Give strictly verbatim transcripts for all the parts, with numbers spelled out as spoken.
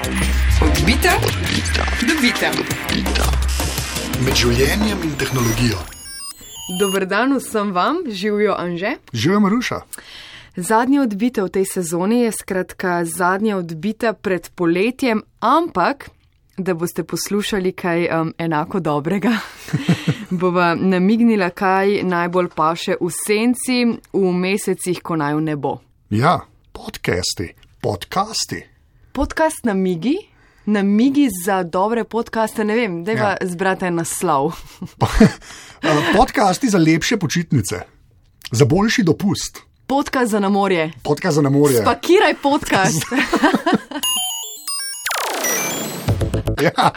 Odbita, dobita. Med življenjem in tehnologijo. Dober dan vsem vam, živijo Anže. Živijo Maruša. Zadnja odbita v tej sezoni je skratka zadnja odbita pred poletjem, ampak da boste poslušali kaj um, enako dobrega, bova namignila, kaj najbolj paše v senci v mesecih, ko naju ne bo. Ja, podcasti, podcasti. Podcast namigi, namigi za dobre podcaste, ne vem, dajva ja. Zbrati naslov. Podcasti za lepše počitnice, za boljši dopust. Podcast za na morje. Podcast za na morje. Spakiraj podcast. Ja,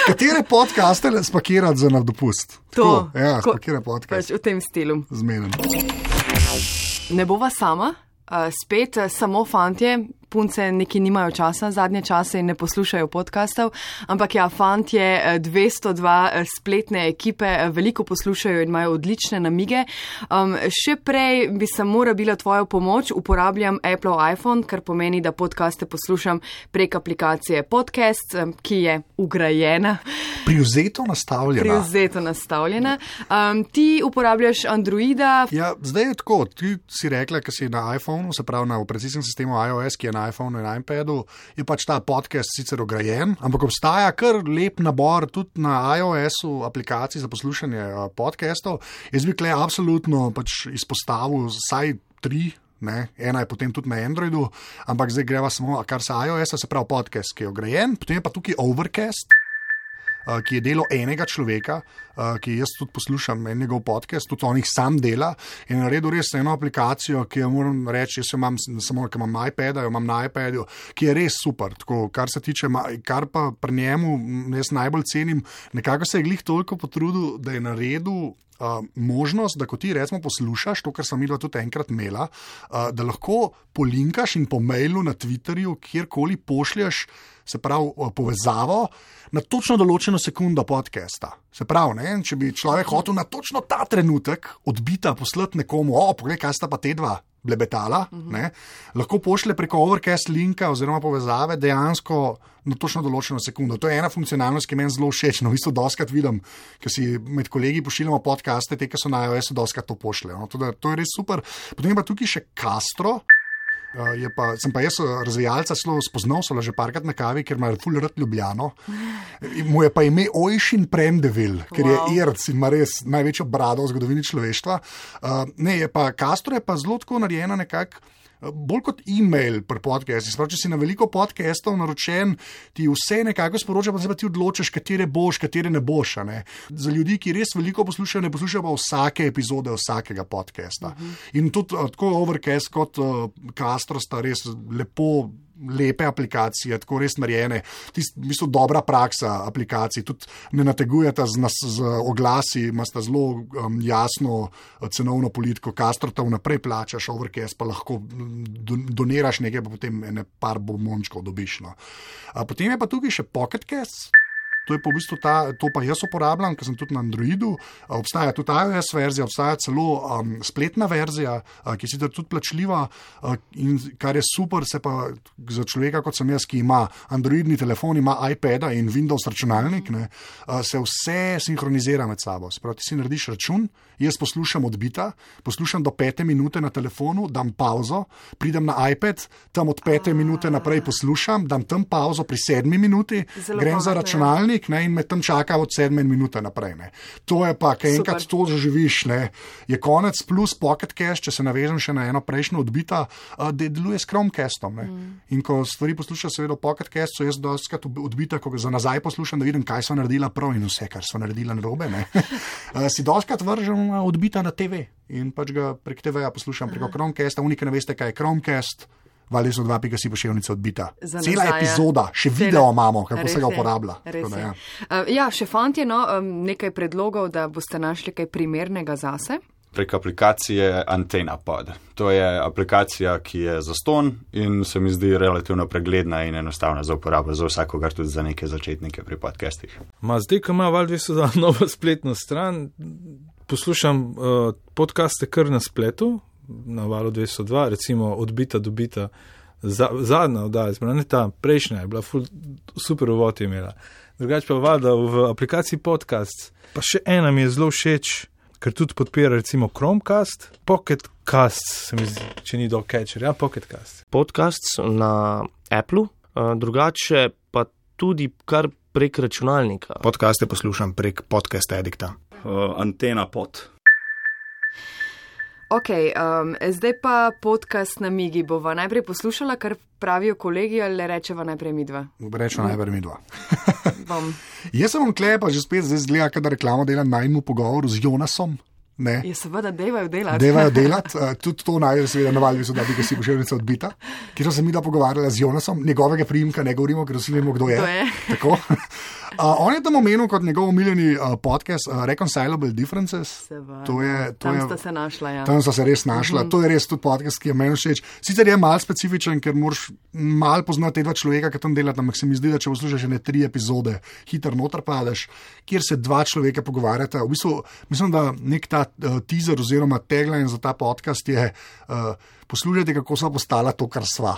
katere podcaste spakirati za na dopust? To. Tako, ja, spakiraj podcast. Pač v tem stilu. Zmenen. Ne bova sama, uh, spet uh, samo fantje, punce neki nimajo časa, zadnje čase in ne poslušajo podcastov, ampak ja, fantje dvesto dva spletne ekipe veliko poslušajo in imajo odlične namige. Um, še prej bi samo rabila tvojo pomoč, uporabljam Apple iPhone, kar pomeni, da podcaste poslušam prek aplikacije Podcast, ki je ugrajena. Privzeto nastavljena. Privzeto nastavljena. Um, ti uporabljaš Androida? Ja, zdaj je tako. Ti si rekla, ki si na iPhoneu, se pravi na operacijskem sistemu iOS, ki je na iPhoneu in iPadu, je pač ta podcast sicer ograjen, ampak obstaja kar lep nabor tudi na iOS-u aplikacij za poslušanje podcastov. Jaz bi tukaj absolutno pač izpostavil vsaj tri, ne? Ena je potem tudi na Androidu, ampak zdaj greva samo, kar se iOS-a, se pravi podcast, ki je ograjen, potem je pa tukaj Overcast, ki je delo enega človeka, ki jaz tudi poslušam en njegov podcast, tudi on jih sam dela in naredil res eno aplikacijo, ki jo moram reči, jaz jo imam samo, ker imam iPada, jo imam na iPadu, ki je res super, tako, kar se tiče, kar pa pri njemu jaz najbolj cenim, nekako se je glih toliko potrudil, da je naredil Uh, možnost, da ko ti recimo poslušaš to, kar sem midva tudi enkrat imela, uh, da lahko polinkaš in po mailu na Twitterju, kjerkoli pošlješ, se pravi povezavo na točno določeno sekundo podcasta. Se pravi, ne, če bi človek hotel na točno ta trenutek odbita poslati nekomu, o, poglej, kaj sta pa te dva blebetala, uh-huh. ne, lahko pošlje preko Overcast linka oziroma povezave dejansko na točno določeno sekundo. To je ena funkcionalnost, ki meni zelo všeč. No, v bistvu doskrat vidim, ker si med kolegi pošiljamo podcaste, te, ki so na iOS-u, doskrat to pošljejo. No, to, to je res super. Potem je pa tukaj še Castro. Uh, je pa, sem pa jaz razvijalca celo spoznal, so že parkrat na kavi, ker ima ful rad Ljubljano. Mu je pa ime Oisin Prendeville, ker wow. je Irc in ima res največjo brado v zgodovini človeštva. Uh, ne, je pa Castro je pa zelo tako narejena nekako, bolj kot e-mail pri podcastih. Sprav, če si na veliko podcastov naročen, ti vse nekako sporoča, pa se pa ti odločiš, katere boš, katere ne boš. Ne? Za ljudi, ki res veliko poslušajo, ne poslušajo pa vsake epizode vsakega podcasta. Uh-huh. In tudi tako Overcast kot uh, Castro sta res lepo lepe aplikacije, tako res narejene. Tist, v bistvu dobra praksa aplikacij, tudi ne nategujete z, nas, z oglasi, imate zelo um, jasno cenovno politiko, Castro te vnaprej plačaš, Overcast pa lahko doniraš nekaj, pa potem ene par bombončkov dobiš. No. A potem je pa tukaj še Pocket Cast. To je pa v bistvu ta, to pa jaz uporabljam, ker sem tudi na Androidu. Obstaja tudi iOS verzija, obstaja celo um, spletna verzija, uh, ki je sicer tudi plačljiva uh, in kar je super, se pa za človeka, kot sem jaz, ki ima Androidni telefon, ima iPada in Windows računalnik, ne, uh, se vse sinhronizira med sabo. Sprav, ti si narediš račun, jaz poslušam odbita, poslušam do pete minute na telefonu, dam pauzo, pridem na iPad, tam od pete minute naprej poslušam, dam tam pauzo pri sedmi minuti, Zelo grem za računalnik, ne, in me tam čaka od sedme minute naprej. Ne. To je pa, kaj enkrat to zaživiš, ne, je konec plus Pocket Cast, če se navežem še na eno prejšnjo odbita, uh, da deluje s Chromecastom. Ne. Mm. In ko stvari poslušaš seveda Pocket Cast, so jaz dostikrat odbita, ko ga za nazaj poslušam, da vidim, kaj so naredila prav in vse, kar so naredila narobe. Ne. uh, si dostikrat vržem odbita na te ve in pač ga prek te veja poslušam preko Chromecasta. Unika ne veste, kaj je Chromecast. Vali so dva pika si poševnica odbita. Cela epizoda, še Cela. Video imamo, kako se ga uporablja. Da, ja. Uh, ja, še fantje, no, um, nekaj predlogov, da boste našli kaj primernega zase. Prek aplikacije AntennaPod. To je aplikacija, ki je zastonj in se mi zdi relativno pregledna in enostavna za uporabo za vsakogar, tudi za neke začetnike pri podcastih. Ma zdaj, ko ima Val dvesto dva novo spletno stran, poslušam uh, podcaste kar na spletu, na Valu dvesto dva, recimo odbita, dobita, za, zadnja oddaja, ne ta prejšnja je bila ful super uvod je imela. Drugače pa valjda v aplikaciji podcast, pa še ena mi je zelo všeč, ker tudi podpira recimo Chromecast, Pocketcast, se mi zdi, če ni dog catcher, ja, Pocketcast. Podcast na Appleu, drugače pa tudi kar prek računalnika. Podcaste poslušam prek Podcast Addicta. Uh, Antena pod. Ok, um, zdaj pa podcast na Migi. Bova najprej poslušala, kar pravijo kolegi, ali rečeva najprej mi dva? Rečeva najprej mi dva. Bom. Jaz sem vam klepa že spet zdaj zgleda, kada reklamo delam najmu pogovoru z Jonasom. Ne. Je seveda, devajo delati. Devajo delati, uh, tudi to najde seveda na Valvi, da bi ga si pošiljnica odbita, kjer sem mi da pogovarjala z Jonasom, njegovega priimka ne govorimo, ker vsi vemo, kdo je. Kdo je? Tako. Uh, on je tam omenil kot njegov omiljeni uh, podcast uh, Reconcilable Differences. To je, to tam je, sta se našla, ja. Tam sta se res našla. Mm-hmm. To je res tudi podcast, ki je meni všeč. Sicer je mal specifičen, ker moraš mal poznati te dva človeka, ki tam delata, ampak se mi zdi, da če poslušaš ne tri epizode, hitro noter padeš, kjer se dva človeka pogovarjata. V bistvu, mislim, da nek ta uh, teaser oziroma tagline za ta podcast je uh, poslušajte, kako sva postala to, kar sva.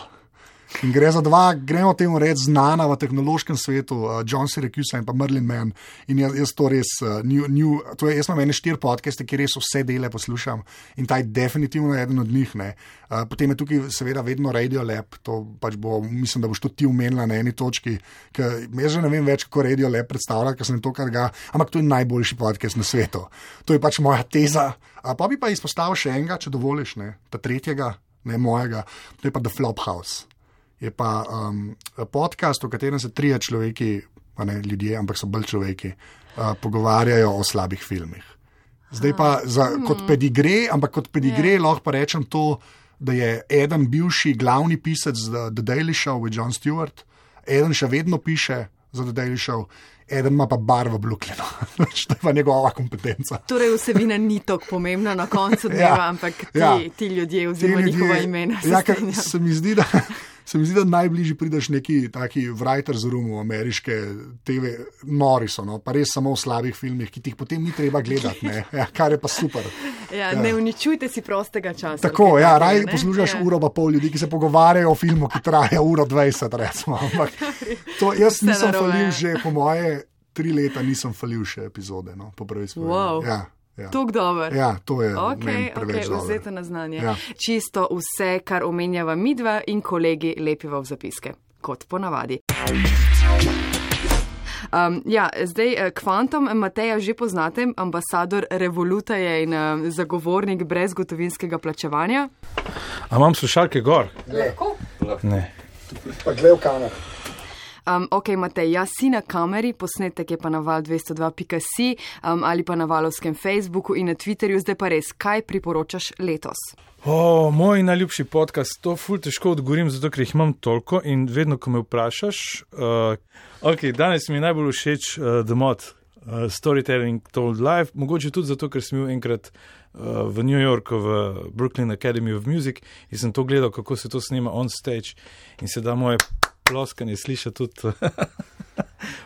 In gre za dva, gremo temu reči, znana v tehnološkem svetu, uh, John Syracuse in pa Merlin Mann. In jaz, jaz to res, uh, new, new, to je, jaz imam ene štiri podcaste, ki res vse dele poslušam in ta je definitivno eden od njih. Uh, potem je tukaj seveda vedno Radio Lab, to pač bo, mislim, da boš tudi ti umenila na eni točki, ker jaz že ne vem več, kako Radio Lab predstavlja, ker sem to, kar ga, ampak to je najboljši podcast na svetu. To je pač moja teza. Uh, pa bi pa izpostavil še enega, če dovoliš, ne, ta tretjega, ne mojega, to je pa The Flophouse. Je pa um, podcast, v katerem se trije človeki, pa ne ljudje, ampak so bolj človeki, uh, pogovarjajo o slabih filmih. Zdaj pa za, kot pedigre, ampak kot pedigre yeah. lahko pa rečem to, da je eden bivši glavni pisec za The Daily Show with Jon Stewart, eden še vedno piše za The Daily Show, eden ima pa bar v Brooklynu. To je pa njegova kompetenca. Torej vsebina ni tako pomembna na koncu dneva, ja, ampak ti, ja, ti ljudje oziroma njihova imena. Ja, ker se mi zdi, da... Se mi zdi, da najbližji prideš neki taki writer's room v ameriške te ve, nori so, no? Pa res samo v slabih filmih, ki ti jih potem ni treba gledati, ne? Ja, kar je pa super. Ja, ja. Ne uničujte si prostega časa. Tako, ja, raj poslušaš ja. uro pa pol ljudi, ki se pogovarjajo o filmu, ki traja uro dvajset, recimo. Ampak to, jaz Vse nisem narobe. falil že, po moje tri leta nisem falil še epizode, no? Po prvi spovedbi. Wow. Ja. Ja. Tuk dober. Ja, to je okay, preveč okay, dobro. Vzete na znanje. Ja. Čisto vse, kar omenjava midva in kolegi, lepiva v zapiske, kot ponavadi. Um, ja, zdaj, Quantum Mateja že poznate, ambasador Revoluta je in um, zagovornik brezgotovinskega plačevanja. A imam slušalke gor? Lahko? Ne. Pa gled v kamer. Um, ok, Matej, jaz si na kameri, posnetek je pa na val dvesto dva pika si um, ali pa na valovskem Facebooku in na Twitterju. Zdaj pa res, kaj priporočaš letos? O, moj najljubši podcast, to ful težko odgovorim, zato ker jih imam toliko in vedno, ko me vprašaš. Uh, ok, danes mi je najbolj všeč uh, The Mod, uh, Storytelling Told Live, mogoče tudi zato, ker sem bil enkrat uh, v New Yorku v Brooklyn Academy of Music in sem to gledal, kako se to snema on stage in se da moje ploskanje sliša tudi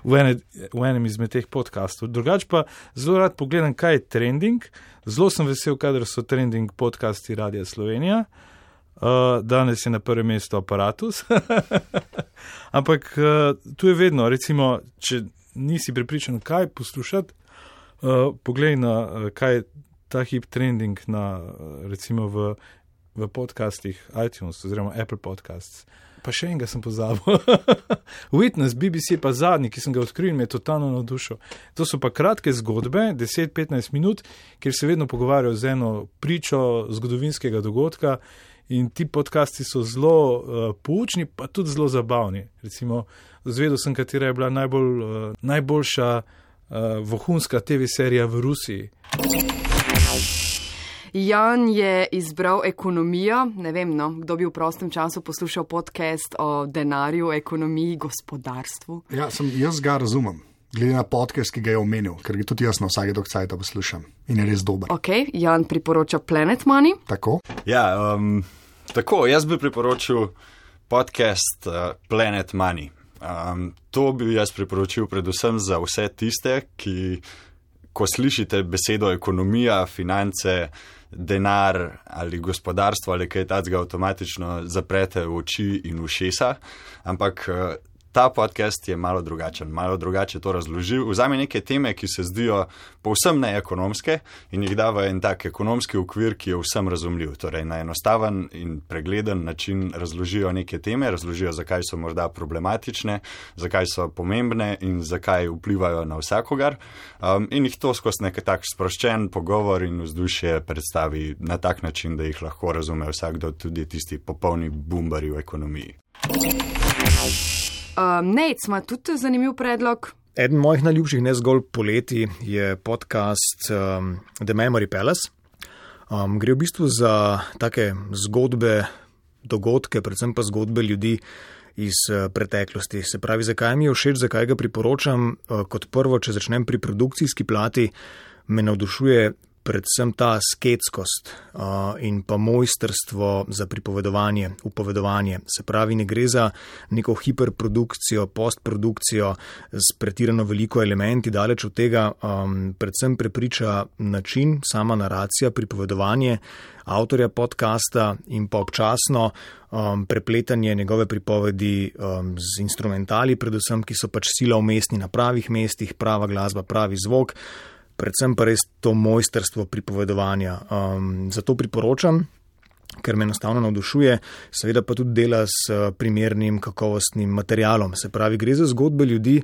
v, ene, v enem izmed teh podcastov. Drugač pa zelo rad pogledam, kaj je trending. Zelo sem vesel, kadar so trending podcasti Radia Slovenija. Uh, danes je na prvem mestu Aparatus. Ampak uh, tu je vedno, recimo, če nisi prepričan, kaj poslušati, uh, poglej na, uh, kaj je ta hip trending na, uh, recimo v, v podcastih iTunes oziroma Apple Podcasts. Pa še enega sem pozabil. Witness, B B C je pa zadnji, ki sem ga odkril in me je totalno navdušil. To so pa kratke zgodbe, deset do petnajst minut, kjer se vedno pogovarjajo z eno pričo zgodovinskega dogodka in ti podcasti so zelo uh, poučni, pa tudi zelo zabavni. Recimo, zvedel sem, katera je bila najbolj, uh, najboljša uh, vohunska T V serija v Rusiji. Jan je izbral ekonomijo, ne vem, no, kdo bi v prostem času poslušal podcast o denarju, ekonomiji, gospodarstvu. Ja, sem, jaz ga razumem, glede na podcast, ki ga je omenil, ker ga tudi jaz na vsake dokcajta poslušam in je res dober. Ok, Jan priporoča Planet Money. Tako? Ja, um, tako, jaz bi priporočil podcast uh, Planet Money. Um, to bi jaz priporočil predvsem za vse tiste, ki, ko slišite besedo ekonomija, finance, denar ali gospodarstvo ali kaj takega, avtomatično zaprete v oči in ušesa, ampak ta podcast je malo drugačen, malo drugače to razloži. Vzame neke teme, ki se zdijo povsem neekonomske in jih da v en tak ekonomski okvir, ki je vsem razumljiv. Torej, na enostaven in pregleden način razložijo neke teme, razložijo, zakaj so morda problematične, zakaj so pomembne in zakaj vplivajo na vsakogar. Um, in jih to skozi nek tak sproščen pogovor in vzdušje predstavi na tak način, da jih lahko razume vsakdo, tudi tisti popolni bumbari v ekonomiji. Um, Nate, ima tudi zanimiv predlog. Eden mojih najljubših, ne zgolj poleti, je podcast um, The Memory Palace. Um, gre v bistvu za take zgodbe, dogodke, predvsem pa zgodbe ljudi iz uh, preteklosti. Se pravi, zakaj mi je všeč, zakaj ga priporočam. Uh, kot prvo, če začnem pri produkcijski plati, me navdušuje predvsem ta sketskost uh, in pa mojstrstvo za pripovedovanje, upovedovanje. Se pravi, ne gre za neko hiperprodukcijo, postprodukcijo s pretirano veliko elementi, daleč od tega, um, predvsem prepriča način, sama naracija, pripovedovanje avtorja podcasta in pa občasno um, prepletanje njegove pripovedi um, z instrumentali, predvsem, ki so pač sila umestni na pravih mestih, prava glasba, pravi zvok. Predvsem pa res to mojstrstvo pripovedovanja. Um, zato priporočam, ker me enostavno navdušuje, seveda pa tudi dela s primernim kakovostnim materialom. Se pravi, gre za zgodbe ljudi,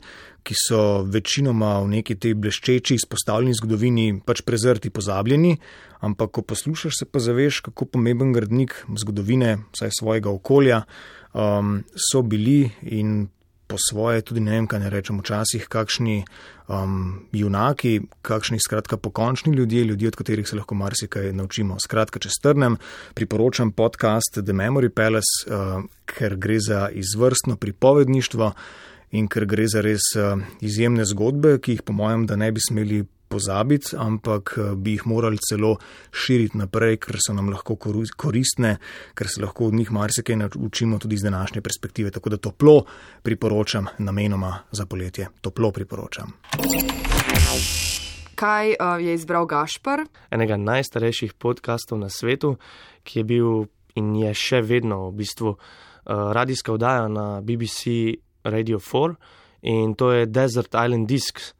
ki so večinoma v neki tej bleščeči, izpostavljeni zgodovini pač prezrti, pozabljeni, ampak ko poslušaš, se pa zaveš, kako pomemben gradnik zgodovine, vsaj svojega okolja, um, so bili in po svoje, tudi ne vem, kaj ne rečem, včasih kakšni um, junaki, kakšni skratka pokončni ljudje, ljudje, od katerih se lahko marsikaj naučimo. Skratka, če strnem, priporočam podcast The Memory Palace, uh, ker gre za izvrstno pripovedništvo in ker gre za res uh, izjemne zgodbe, ki jih po mojem, da ne bi smeli pozabiti, ampak bi jih morali celo širiti naprej, ker so nam lahko koristne, ker se lahko od njih marsikaj naučimo tudi iz današnje perspektive. Tako da toplo priporočam, namenoma za poletje. Toplo priporočam. Kaj uh, je izbral Gašper? Enega najstarejših podcastov na svetu, ki je bil in je še vedno v bistvu uh, radijska oddaja na B B C Radio štiri in to je Desert Island Discs.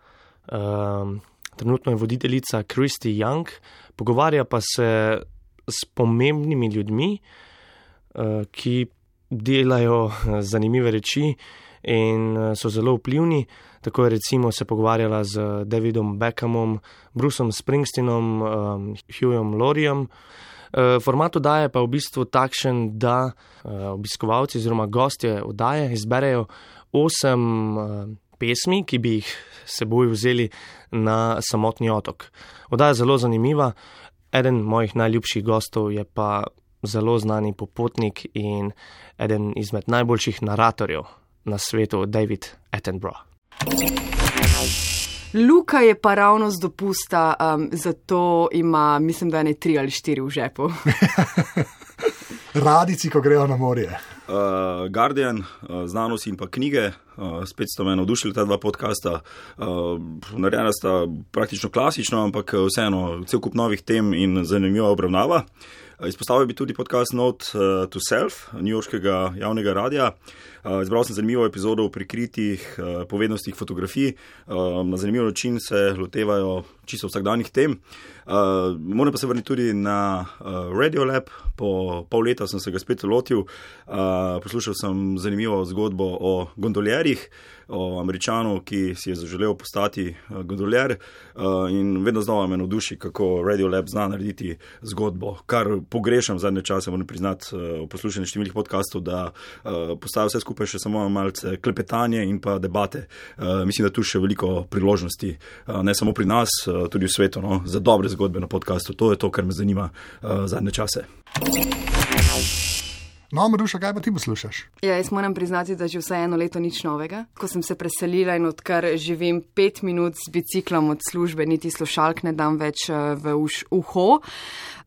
Um, Trenutno je voditeljica Christy Young, pogovarja pa se s pomembnimi ljudmi, ki delajo zanimive reči in so zelo vplivni. Tako je recimo se pogovarjala z Davidom Beckhamom, Bruceom Springsteenom, Hughom Lauriem. Format oddaje pa je v bistvu takšen, da obiskovalci oziroma gostje oddaje izberejo osem pesmi, ki bi jih seboj vzeli na samotni otok. Oddaja je zelo zanimiva. Eden mojih najljubših gostov je pa zelo znani popotnik in eden izmed najboljših naratorjev na svetu, David Attenborough. Luka je pa ravno z dopusta, um, zato ima, mislim, da ne tri ali štiri v žepu. Radici, ko grejo na morje. Uh, Guardian, uh, znanost in pa knjige, uh, spet sta me navdušili ta dva podcasta. Uh, narejena sta praktično klasično, ampak vseeno cel kup novih tem in zanimiva obravnava. Uh, izpostavil bi tudi podcast Note uh, to Self, newyorškega javnega radija. Uh, izbral sem zanimivo epizodo o prikritih uh, povednostih fotografij. Uh, na zanimiv način se lotevajo čisto vsakdanjih tem. Uh, moram pa se vrniti tudi na uh, Radiolab. Po pol leta sem se ga spet lotil. Uh, poslušal sem zanimivo zgodbo o gondoljerjih, o Američanu, ki si je zaželel postati uh, gondoljer uh, in vedno znova me navduši, kako Radiolab zna narediti zgodbo, kar pogrešam zadnje čase, moram priznati uh, v poslušanju številnih podcastov, da uh, postaja vse skupaj še samo malce klepetanje in pa debate. Uh, mislim, da tu še veliko priložnosti, uh, ne samo pri nas, uh, tudi v svetu, no, za dobre zgodbe na podcastu. To je to, kar me zanima uh, zadnje čase. No, Maruša, kaj pa ti poslušaš? Ja, jaz moram priznati, da že vsaj eno leto nič novega. Ko sem se preselila in odkar živim pet minut s biciklom od službe, niti slušalk ne dam več v uš, uho.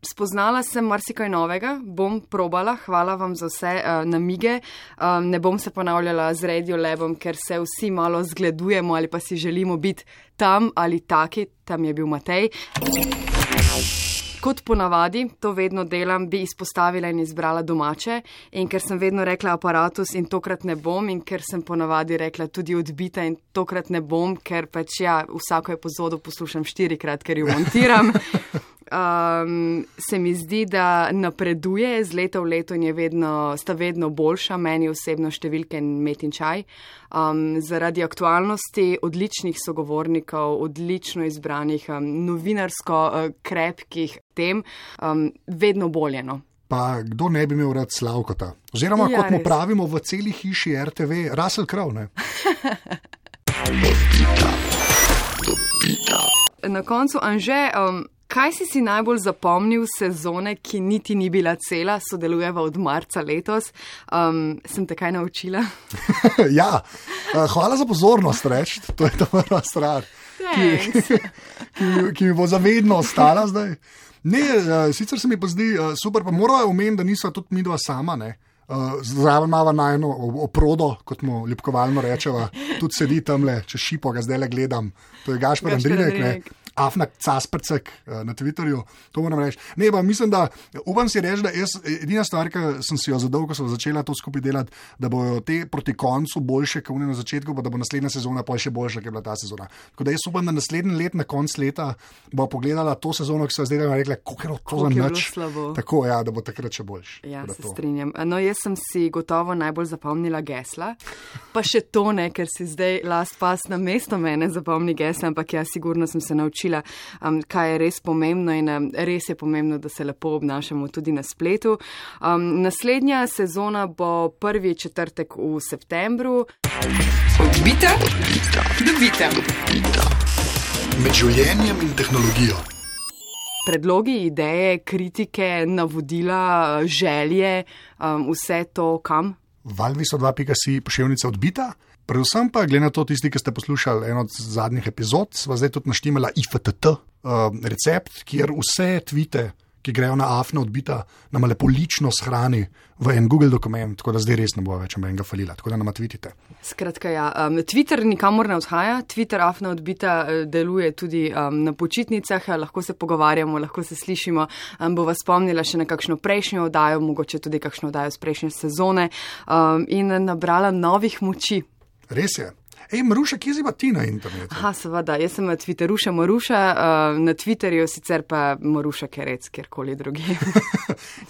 Spoznala sem marsikaj novega, bom probala, hvala vam za vse uh, namige. Um, ne bom se ponavljala z Radiolabom, ker se vsi malo zgledujemo ali pa si želimo biti tam ali taki, tam je bil Matej. kot ponavadi, to vedno delam, bi izpostavila in izbrala domače. In ker sem vedno rekla aparatus in tokrat ne bom, in ker sem ponavadi rekla tudi odbita in tokrat ne bom, ker pač ja, vsako epizodo poslušam štirikrat, ker jo montiram. Um, se mi zdi, da napreduje z leta v leto in je vedno, sta vedno boljša, meni osebno številke Met in čaj. Um, zaradi aktualnosti odličnih sogovornikov, odlično izbranih, um, novinarsko uh, krepkih tem, um, vedno boljeno. Pa kdo ne bi imel rad Slavkota? Oziroma, ja, kot mu pravimo v celi hiši R T V, Russell Crowe, ne? Na koncu, Anže, um, kaj si si najbolj zapomnil sezone, ki niti ni bila cela, sodelujeva od marca letos? Um, sem te kaj naučila? Ja, hvala za pozornost, reč. To je ta prva stvar, ki, ki, ki mi bo zavedno ostala zdaj. Ne, sicer se mi pa zdi super, pa morajo omeniti, da niso tudi mi dva sama, ne. Zraven imava najno oprodo, kot mu ljubkovalno rečeva, tudi sedi tamle, če šipo ga zdaj le gledam. To je Gašper Andrinek, ne. Afna Caspercek na Twitterju, to moram reči. Ne, pa mislim, da upam si reči, da jaz, edina stvar, ki sem si jo zadal, ko sem začela to skupaj delati, da bojo te proti koncu boljše, kot na začetku, pa da bo naslednja sezona pa še boljša, kot je bila ta sezona. Tako da jaz upam, da naslednji let, na konc leta, bo pogledala to sezono, ki so zdaj rekla, koliko je to za nič. Tako, ja, da bo takrat še boljš. Ja, se strinjam. No, jaz sem si gotovo najbolj zapomnila gesla, pa še to ne, ker si zdaj last pass na mesto mene zapomni gesla, ampak ja, sigurno sem se naučila, Um, kaj je res pomembno in um, res je pomembno, da se lepo obnašamo tudi na spletu. Um, naslednja sezona bo prvi četrtek v septembru. Odbita, dobita. Med življenjem in tehnologijo. Predlogi, ideje, kritike, navodila, želje, um, vse to kam? valviso dva pika si poševnica Odbita. Predvsem pa, glede na to, tisti, ki ste poslušali eno od zadnjih epizod, sva zdaj tudi naštimala I F T T uh, recept, kjer vse tvite, ki grejo na Afna Odbita, nama lepo lično shrani v en Google dokument, tako da zdaj res ne bo več enega falila, tako da nama tvitite. Skratka, ja, um, Twitter nikamor ne odhaja, Twitter Afna Odbita deluje tudi um, na počitnicah, lahko se pogovarjamo, lahko se slišimo, um, bo vas spomnila še na kakšno prejšnjo oddajo, mogoče tudi kakšno oddajo z prejšnje sezone um, in nabrala novih moči. Res je. Ej, Maruša, kje si pa ti na internetu? Aha, seveda, jaz sem na Twitteruša Maruša, uh, na Twitterju sicer pa Maruša Kerec, kjerkoli drugi.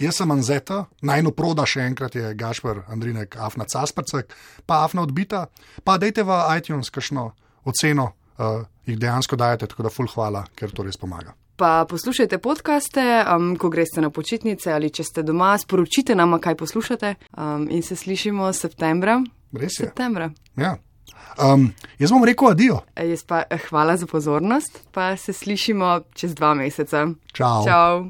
Jaz sem Anzeta, najno proda še enkrat je Gašper Andrinek, Afna Caspercek, pa Afna Odbita, pa dejte v iTunes kakšno oceno, uh, jih dejansko dajete, tako da ful hvala, ker to res pomaga. Pa poslušajte podcaste, um, ko greste na počitnice ali če ste doma, sporočite nama, kaj poslušate um, in se slišimo septembra. Res je. Septembra. Ja. Um, jaz bom rekel adijo. Jaz pa hvala za pozornost, pa se slišimo čez dva meseca. Čau. Čau.